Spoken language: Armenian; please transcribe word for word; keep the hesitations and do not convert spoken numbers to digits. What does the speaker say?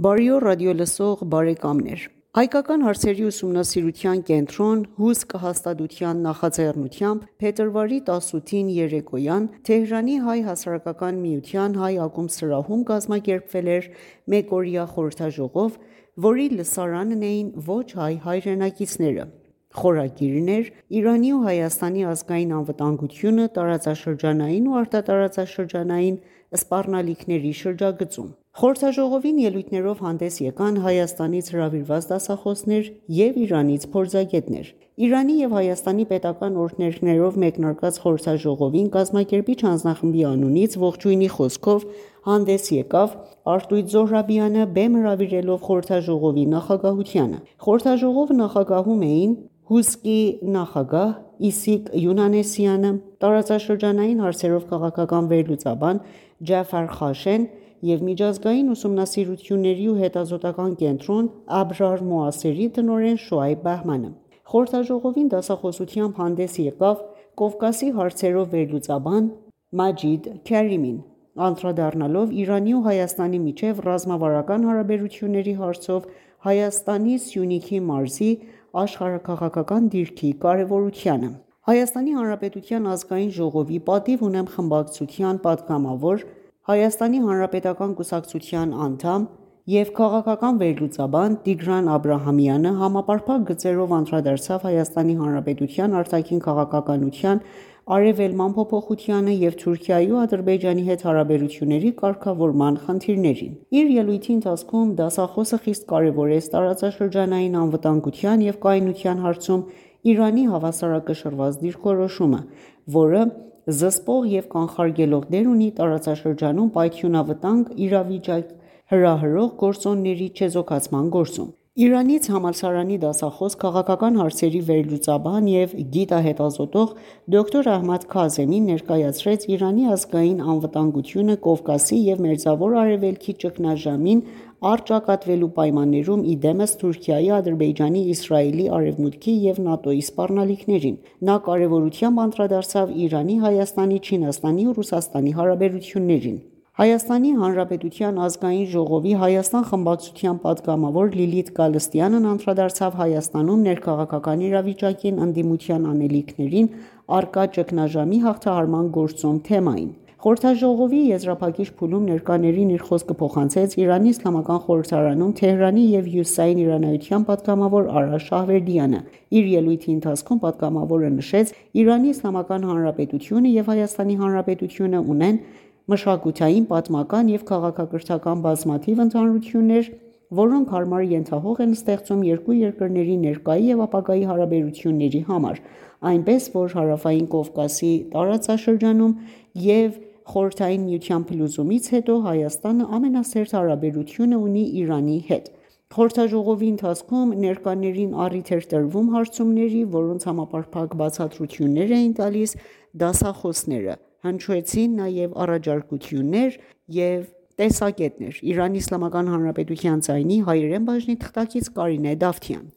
Բարի օր ռադիոլսող բարեկամներ: Հայկական հարցերի ուսումնասիրության կենտրոն հուսք հաստատության նախաձեռնությամբ փետրվարի տասութին երեկոյան Թեհրանի հայ հասարակական միության հայ ակումբսրահում կազմակերպվել էր մեկօրյա խորհրդաժողով, որի լսարանն էին ոչ հայ հայրենակիցները: Խորագիրն էր «Իրանի ու Հայաստանի ազգային անվտանգությունը տարածաշրջանային ու արտատարածաշրջանային սպառնալիքների շրջագծում»: Խորհրդաժողովին ելույթներով հանդես եկան Հայաստանից հրավիրված դասախոսներ և Իրանից փորձագետներ: Իրանի և Հայաստանի պետական օրհներգներով մեկնարկած խորհրդաժողովին կազմակերպիչ հանձնախմբի անունից ողջույնի խոսքով հանդես եկավ Արտույտ Զոհրաբյանը, բեմ հրավիրելով խորհրդաժողովի նախագահությանը: Խորհրդաժողովը նախագահում էին հուսկի նախագահ Իսիկ Յունանեսյանը, տարածաշրջանային հարցերով քաղաքական վերլուծաբան Ջաֆար Խաշեն և միջազգային ուսումնասիրությունների ու հետազոտական կենտրոն Աբրար Մոասերի տնօրեն Շոայբ Բահմանը: Խորհրդաժողովին դասախոսությամբ հանդես եկավ Կովկասի հարցերով վերլուծաբան Մաջիդ Քարիմին, անդրադառնալով Իրանի ու Հայաստանի միջև ռազմավարական հարաբերությունների հարցով Հայաստանի Սյունիքի մարզի աշխարհաքաղաքական դիրքի կարևորությանը: Հայաստանի Հանրապետության ազգային ժողովի «Պատիվ ունեմ» խմբակցության պատգամավոր, Հայաստանի հանրապետական կուսակցության անդամ և քաղաքական վերլուծաբան Տիգրան Աբրահամյանը համապարփակ գծերով անդրադարձավ Հայաստանի Հանրապետության արտաքին քաղաքականության արևելման փոփոխությանը և Թուրքիայի ու Ադրբեջանի հետ հարաբերությունների կարգավորման խնդիրներին: Իր ելույթի ընթացքում դասախոսը խիստ կարևորեց տարածաշրջանային անվտանգության և կայունության հարցում Իրանի հավասարակշռված դիրքորոշումը, որը զսպող և կանխարգելող դեր ունի տարածաշրջանում պայթյունավտանգ իրավիճակ հրահրող գործոնների չեզոքացման գործում: Իրանից համալսարանի դասախոս, քաղաքական հարցերի վերլուծաբան և գիտահետազոտող դոկտոր Ահմադ Քազեմին ներկայացրեց Իրանի ազգային անվտանգությունը Կովկասի և Մերձավոր Արևելքի ճգնաժամին առճակատվելու պայմաններում ի դեմս Թուրքիայի, Ադրբեջանի, Իսրայելի, Արևմուտքի և ՆԱՏՕ-ի սպառնալիքներին: Նա կարևորությամբ անդրադարձավ Իրանի, Հայաստանի, Չինաստանի ու Ռուսաստանի հարաբերություններին: Հայաստանի Հանրապետության ազգային ժողովի Հայաստան խմբակցության պատգամավոր Լիլիթ Գալստյանն անդրադարձավ Հայաստանում ներքաղաքական իրավիճակին, ընդդիմության անելիքներին առկա ճգնաժամի հաղթահարման գործում թեմային: Խորհրդաժողովի եզրափակիչ փուլում ներկաներին իր խոսքը փոխանցեց Իրանի իսլամական խորհրդարանում Թեհրանի և հյուսիսային իրանայության պատգամավոր Արա Շահվերդյանը: Իր ելույթի ընթացքում պատգամավորը նշեց. «Իրանի Իսլամական Հանրապետությունը և Հայաստանի Հանրապետությունը ունեն մշակութային, պատմական և քաղաքակրթական բազմաթիվ ընդհանրություններ, որոնք հարմար ենթահող են ստեղծում երկու երկրների ներկայի և ապագայի հարաբերությունների համար, այնպես որ Հարավային Կովկասի տարածաշրջանում և Խորհրդային Միության փլուզումից հետո Հայաստանը ամենասերտ հարաբերությունը ունի Իրանի հետ»: Խորհրդաժողովի ընթացքում ներկաներին առիթ էր տրվում հարցումների, որոնց համապարփակ բացատրություններ էին տալիս դասախոսները: Հնչեցին նաև առաջարկություններ և տեսակետներ: Իրանի Իսլամական Հանրապետության ձայնի հայերեն բաժնի թղթակից Կարինե Դավթյան: